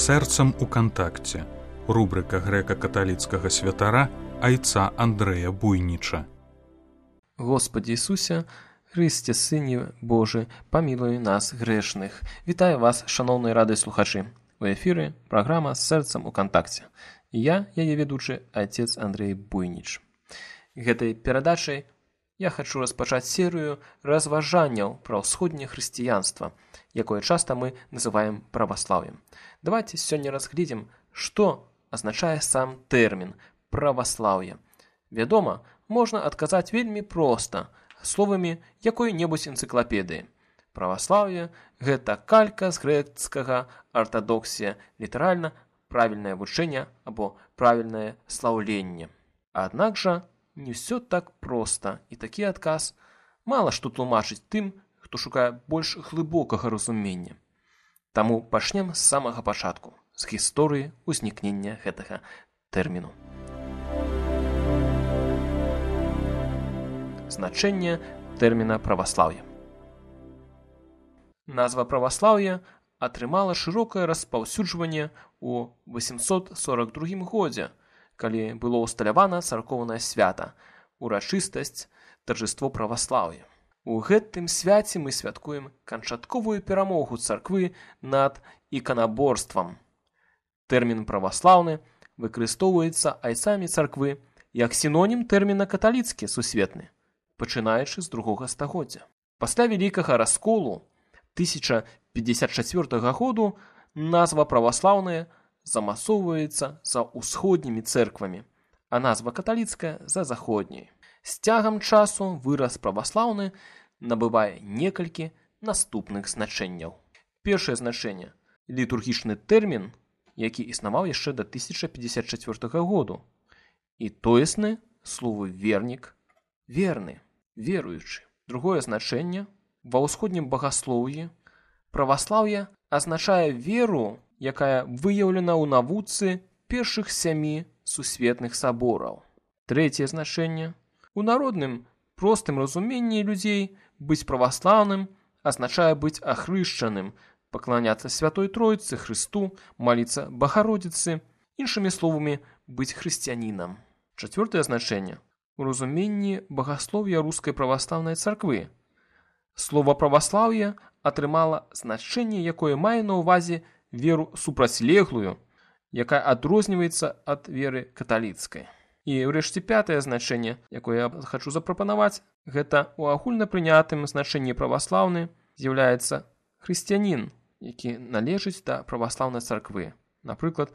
Сэрцам у кантакце. Рубрика грэка-каталіцкага святара айца Андрэя Буйніча. Господи Ісусе, Христе, Сыне Божий, памілуй нас грэшных. Вітаю вас, шаноўныя радыёслухачы. У эфіры праграма «Сэрцам у кантакце». І я, яе ведучы, отец Андрей Буйніч. Гэтай перадачай я хачу распачаць серыю разважанняў пра ўсходняе хрысціянства, якое часта мы называем праваслаўем. Давайте сёння разгледзім, што азначае сам тэрмін праваслаўе. Вядома, можна адказаць вельмі проста, словамі якой-небудзь энцыклапедыі. Праваслаўе – гэта калька з грэцкага артадоксія, літаральна правільнае вучэнне або правільнае слаўленне. Аднак жа не ўсё так проста, і такі адказ мала што тлумачыць тым, хто шукае больш глыбокага разумення. Таму пачнем з самага пачатку, з гісторыі ўзнікнення гэтага тэрміну. Значэнне тэрміна праваслаўе. Назва праваслаўе атрымала шырокае распаўсюджванне ў 842 годзе, калі было ўсталявана царкоўнае свята, урачыстасць, таржыство праваслаўя. У гэтым свяце мы святкуем канчатковую перамогу царквы над іканаборствам. Тэрмін праваслаўны выкарыстоўваецца айцамі царквы як сінонім тэрміна каталіцкі сусветны, пачынаючы з 2 стагоддзя. Пасля вялікага расколу 1054 году назва праваслаўная замасоўваецца за ўсходнімі цэрквамі, а назва каталіцкая за заходняй. З цягам часу выраз праваслаўны набывае некалькі наступных значэнняў. Першае значэнне – літургічны тэрмін, які існаваў яшчэ да 1054 году, і тоесны словы вернік, верны, веруючы. Другое значэнне – ва ўсходнім багаслоўі праваслаўе азначае веру, якая выяўлена ў навуцы першых 7 сусветных сабораў. Трэцяе значэнне – у народным простым разуменні людзей быць праваслаўным азначае быць ахрышчаным, пакланяцца Святой Тройцы, Хрысту, маліцца Багародзіцы, іншымі словамі, быць хрысціянінам. Чацвёртае значэнне – у разуменні багаслов'я рускай праваслаўнай царквы. Слова праваслаўе атрымала значэнне, якое мае на ўвазе веру супрацьлеглую, якая адрозніваецца ад веры каталіцкай. І ўрэшце пятае значэнне, якое я хачу запрапанаваць, гэта ў агульнапрынятым значэнні праваслаўны з'яўляецца хрысціянін, які належыць да праваслаўнай царквы, напрыклад,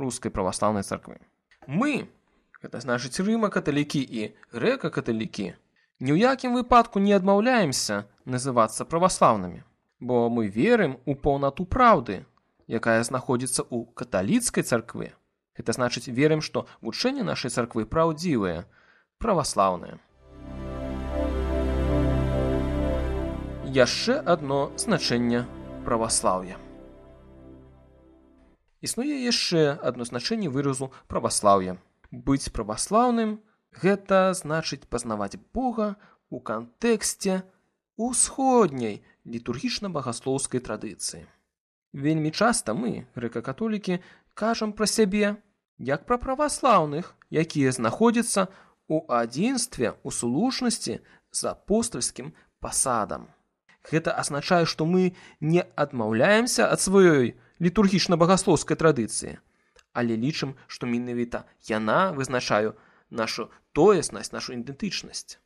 рускай праваслаўнай царквы. Мы, гэта значыць рыма-каталікі і грэка-каталікі, ні ў якім выпадку не адмаўляемся называцца праваслаўнымі, бо мы верым у паўнату праўды, якая знаходзіцца ў каталіцкай царкве. Гэта значыць, верым, што вучэнне нашай царквы праўдзівае, праваслаўнае. Яшчэ адно значэнне праваслаўя. Існуе яшчэ адно значэнне выразу праваслаўя. Быць праваслаўным – гэта значыць пазнаваць Бога ў кантэксце усходняй літургічна-багаслоўскай традыцыі. Вельмі часта мы, грэка-католікі, кажам пра сябе як пра праваслаўных, якія знаходзяцца ў адзінстве, у слушнасці з апостальскім пасадам. Гэта азначае, што мы не адмаўляемся ад сваёй літургічна-багаслоўскай традыцыі, але лічым, што менавіта яна вызначае нашу тоеснасць, нашу ідэнтычнасць.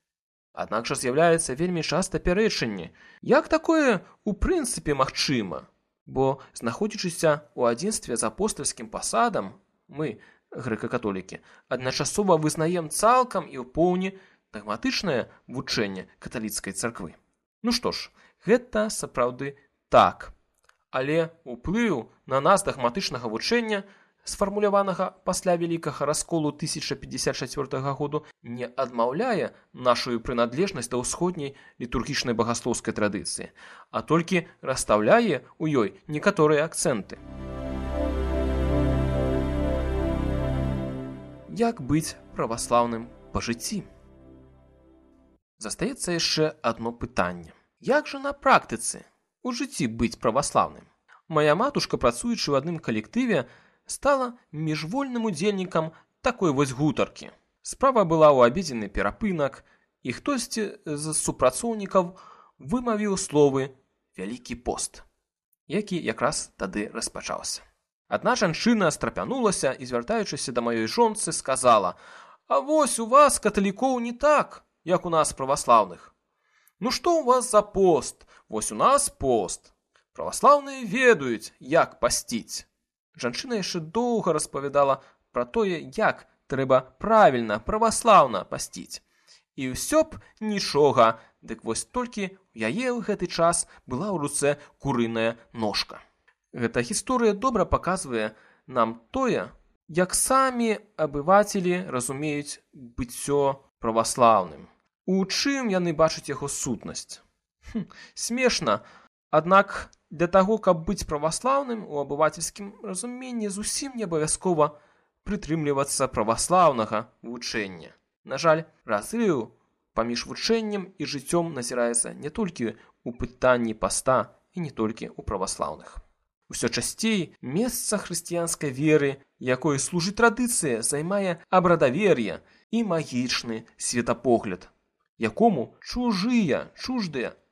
Аднак жа з'яўляецца вельмі часта пярэчанне. Як такое ў прынцыпе магчыма? Бо, знаходзячыся ў адзінстве з апостальскім пасадам, мы, грэка-католікі, адначасова вызнаем цалкам і ў поўні дагматычнае вучэнне каталіцкай царквы. Ну што ж, гэта сапраўды так. Але ўплыў на нас дагматычнага вучэння, сфармуляванага пасля вялікага расколу 1054 году, не адмаўляе нашу прыналежнасць да ўсходняй літургічнай багаслоўскай традыцыі, а толькі расстаўляе ў ёй некаторыя акцэнты. Як быць праваслаўным па жыцці? Застаецца яшчэ адно пытанне. Як жа на практыцы у жыцці быць праваслаўным? Мая матушка, працуючы ў адным калектыве, стала міжвольным удзельнікам такой вось гутаркі. Справа была ў абедзенны перапынак, і хтосьці з супрацоўнікаў вымавіў словы «Вялікі пост», які якраз тады распачаўся. Адна жанчына страпянулася і, звяртаючыся да маёй жонцы, сказала: «А вось у вас, каталікоў, не так, як у нас праваслаўных. Ну што ў вас за пост? Вось у нас пост. Праваслаўныя ведаюць, як пасціць». Жанчына яшчэ доўга распавядала пра тое, як трэба правільна, праваслаўна пасціць. І ўсё б нічога, дык вось толькі ў яе ў гэты час была ў руцэ курыная ножка. Гэта гісторыя добра паказвае нам тое, як самі абывацелі разумеюць быццё праваслаўным. У чым яны бачаць яго сутнасць? Смешна, аднак для таго, каб быць праваслаўным, у абывацельскім разуменні зусім не абавязкова прытрымлівацца праваслаўнага вучэння. На жаль, разрыў паміж вучэннем і жыццём назіраецца не толькі ў пытанні паста і не толькі ў праваслаўных. Усё часцей месца хрысціянскай веры, якой служыць традыцыя, займае абрадавер'е і магічны светапогляд, якому чуждыя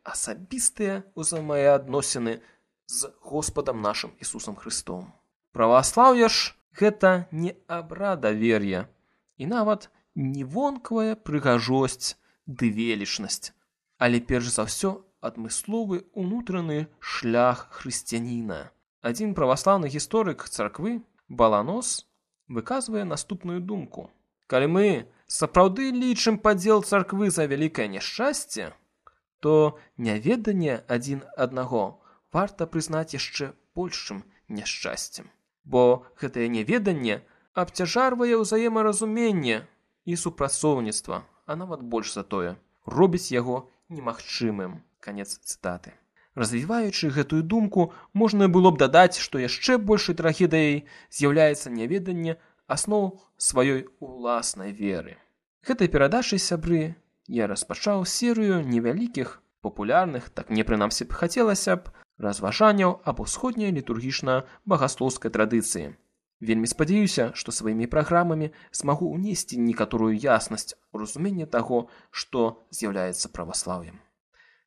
асабістыя ўзаемаадносіны з Господам нашым Ісусам Христом. Праваслаўе ж гэта не абрадавер'е і нават не вонкавая прыгажосць ды велічнасць, але перш за ўсё адмысловы ўнутраны шлях хрысціяніна. Адзін праваслаўны гісторык царквы, Баланос, выказвае наступную думку. Калі мы сапраўды лічым падзел царквы за вялікае няшчасце, то няведанне адзін аднаго варта прызнаць яшчэ большым няшчасцем. Бо гэтае няведанне абцяжарвае ўзаемаразуменне і супрацоўніцтва, а нават больш за тое, робіць яго немагчымым. Канец цытаты. Развіваючы гэтую думку, можна было б дадаць, што яшчэ большай трагедыяй з'яўляецца няведанне асноў сваёй уласнай веры. Гэтай перадачай, сябры, я распачаў серыю невялікіх, папулярных, так мне прынамсі б хацелася б, разважанняў аб усходняй літургічна-багаслоўскай традыцыі. Вельмі спадзяюся, што сваімі праграмамі змагу ўнесці некаторую яснасць у разуменне таго, што з'яўляецца праваслаўем.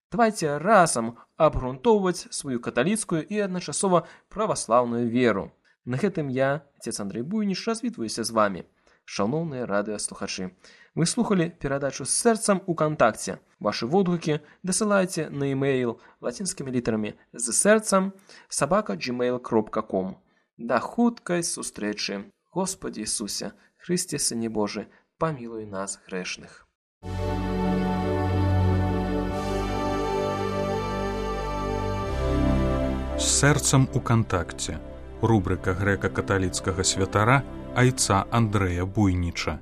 Давайце разам абгрунтоўваць сваю каталіцкую і адначасова праваслаўную веру. На гэтым я, отец Андрей Буйніч, развітваюся з вамі, шаноўныя радыёслухачы. Вы слухалі перадачу з сэрцам у кантакце. Вашы водгукі дасылайце на e-mail лацінскімі літарамі з сэрцам @gmail.com. Да хуткай сустрэчы. Господи Ісусе, Христе, Сыне Божы, памілуй нас грэшных. З сэрцам у кантакце. Рубрика грэка-каталіцкага святара айца Андрэя Буйніча.